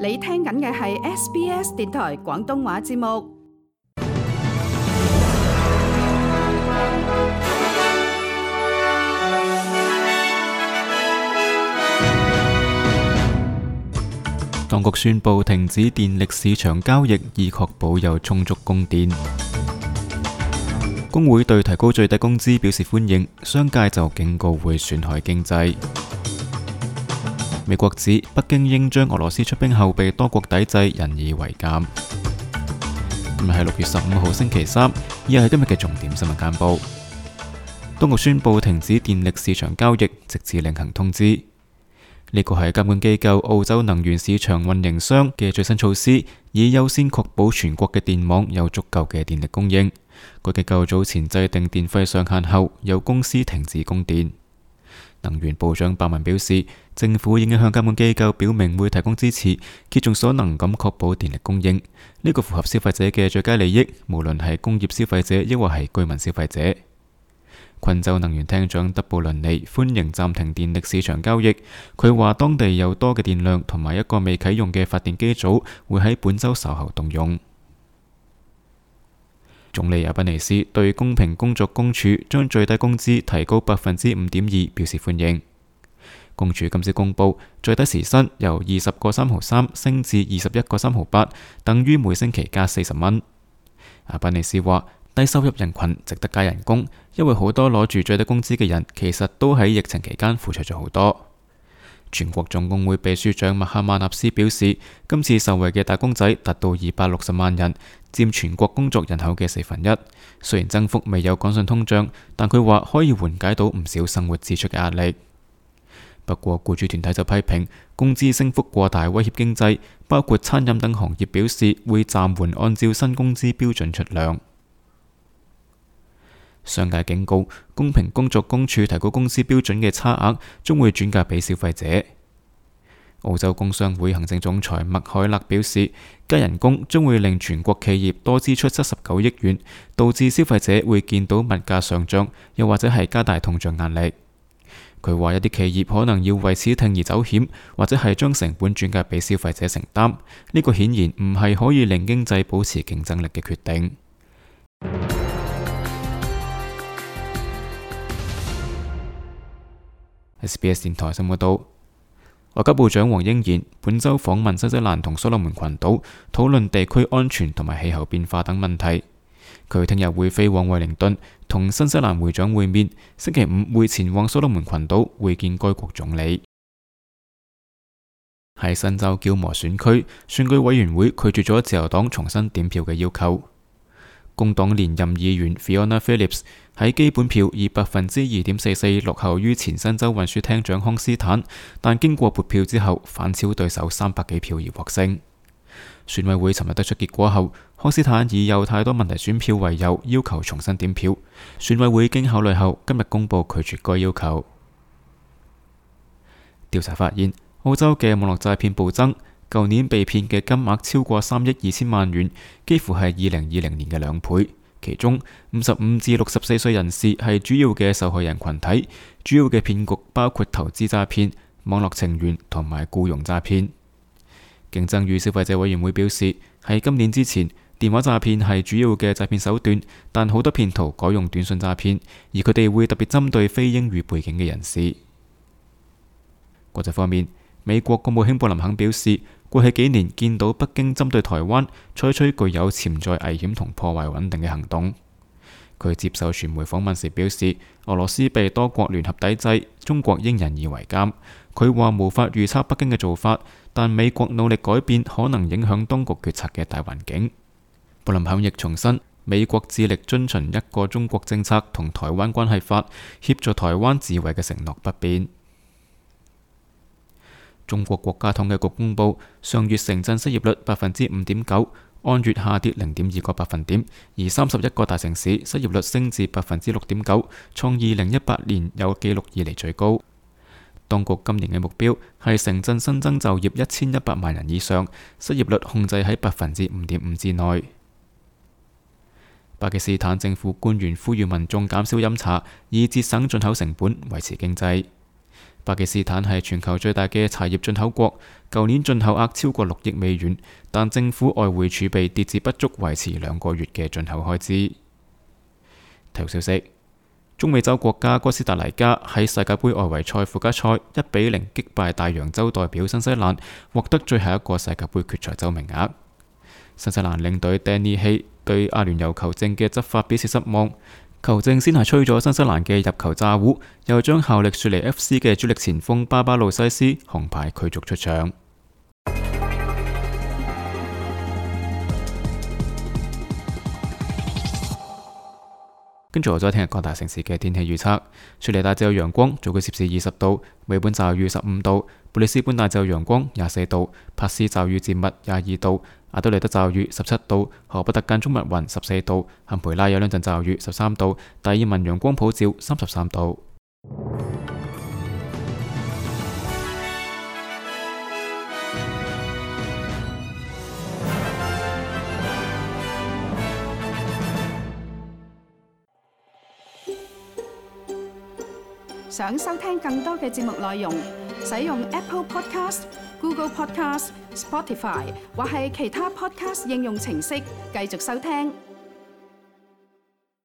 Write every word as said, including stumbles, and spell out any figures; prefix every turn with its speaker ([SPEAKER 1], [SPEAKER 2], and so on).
[SPEAKER 1] 你聽緊嘅係 S B S 電台廣東話節目。
[SPEAKER 2] 當局宣布停止電力市場交易，以確保有充足供電。工會對提高最低工資表示歡迎，商界就警告會損害經濟。美國指北京應將俄羅斯出兵後被多國抵制引以為鑑。今日係六月十五號星期三，以下係今日嘅重點新聞簡報。當局宣布停止電力市場交易，直至另行通知。呢個係監管機構澳洲能源市場運營商嘅最新措施，以優先確保全國嘅電網有足夠嘅電力供應。該機構早前制定電費上限後，有公司停止供電。能源部長白文表示，政府已經向監管機構表明會提供支持，竭盡所能咁確保電力供應。呢個符合消費者嘅最佳利益，無論係工業消費者抑或係居民消費者。昆州能源廳長德布倫尼歡迎暫停電力市場交易。佢話當地有多嘅電量同埋一個未啟用嘅發電機組會喺本周稍後動用。總理阿賓尼斯對公平工作公署將最低工資提高百分之五點二表示歡迎。公署今次公布最低時薪由二十個三毫三升至二十一個三毫八，等於每星期加四十蚊。阿賓尼斯話，低收入人群值得加人工，因為好多攞住最低工資嘅人其實都喺疫情期間付出咗好多。全國總工會秘書長麥克馬納斯表示，今次受惠嘅打工仔達到二百六十萬人，佔全國工作人口嘅四分一。雖然增幅未有趕上通脹，但佢話可以緩解到唔少生活支出嘅壓力。不過，僱主團體就批評工資升幅過大，威脅經濟，包括餐飲等行業表示會暫緩按照新工資標準出糧。商界警告，公平工作公署提高工資標準嘅差額將會轉嫁俾消費者。澳洲工商會行政總裁麥凱勒表示，加人工將會令全國企業多支出七十九億元，導致消費者會見到物價上漲，又或者係加大通脹壓力。佢話一啲企業可能要為此鋌而走險，或者係將成本轉嫁俾消費者承擔。呢個顯然唔係可以令經濟保持競爭力嘅決定。S B S 電台新聞報道，外交部長黃英賢本周訪問新西蘭同所羅門群島，討論地區安全同埋氣候變化等問題。佢聽日會飛往惠靈頓同新西蘭會長會面，星期五會前往所羅門群島會見該國總理。喺新州嬌磨選區，選舉委員會拒絕咗自由黨重新點票嘅要求。工黨連任議員 Fiona Phillips 喺基本票以百分之二點四四落後於前新州運輸廳長康斯坦，但經過撥票之後反超對手三百幾票而獲勝。選委會尋日得出結果後，康斯坦以有太多問題選票為由要求重新點票。選委會經考慮後，今日公布拒絕該要求。調查發現，澳洲嘅網絡詐騙暴增。舊年被騙嘅金額超過三億二千萬元，幾乎係二零二零年嘅兩倍。其中五十五至六十四歲人士係主要嘅受害人群體，主要嘅騙局包括投資詐騙、網絡情緣同埋僱傭詐騙。競爭與消費者委員會表示，喺今年之前，電話詐騙係主要嘅詐騙手段，但好多騙徒改用短信詐騙，而佢哋會特別針對非英語背景嘅人士。國際方面，美國國務卿布林肯表示，過去幾年見到北京針對台灣採取具有潛在危險同破壞穩定嘅行動。佢接受傳媒訪問時表示，俄羅斯被多國聯合抵制，中國應引以為鑑。佢話無法預測北京嘅做法，但美國努力改變可能影響當局決策嘅大環境。布林肯亦重申，美國致力遵循一個中國政策同台灣關係法，協助台灣自衛嘅承諾不變。中國國家統計局公布，上月城鎮失業率百分之五點九，按月下跌零點二個百分點，而三十一個大城市失業率升至百分之六點九，創二零一八年有紀錄以嚟最高。當局今年嘅目標係城鎮新增就業一千一百萬人以上，失業率控制喺百分之五點五之內。巴基斯坦政府官員呼籲民眾減少飲茶，以節省進口成本，維持經濟。巴基斯坦係全球最大嘅茶葉進口國，舊年進口額超過六億美元，但政府外匯儲備跌至不足維持兩個月嘅進口開支。體育消息：中美洲國家哥斯達黎加喺世界盃外圍賽附加賽一比零擊敗大洋洲代表新西蘭，獲得最後一個世界盃決賽周名額。新西蘭領隊丹尼希對阿聯酋球證嘅執法表示失望，球證先係吹咗新西蘭嘅入球詐糊，又將效力雪梨 F C 嘅主力前鋒巴巴路西斯紅牌驅逐出場。跟住我再聽日各大城市嘅天氣預測：雪梨大致有陽光，最高攝氏二十度；美本驟雨十五度；布里斯本大致有陽光廿四度；帕斯驟雨漸密廿二度；阿德萊德驟雨十七度；荷伯特間中密雲十四度；坎培拉有兩陣驟雨十三度；達爾文陽光普照三十三度。
[SPEAKER 1] 想收聽更多嘅節目內容，使用 Apple Podcast、Google Podcast、Spotify 或係其他 Podcast 應用程式繼續收聽。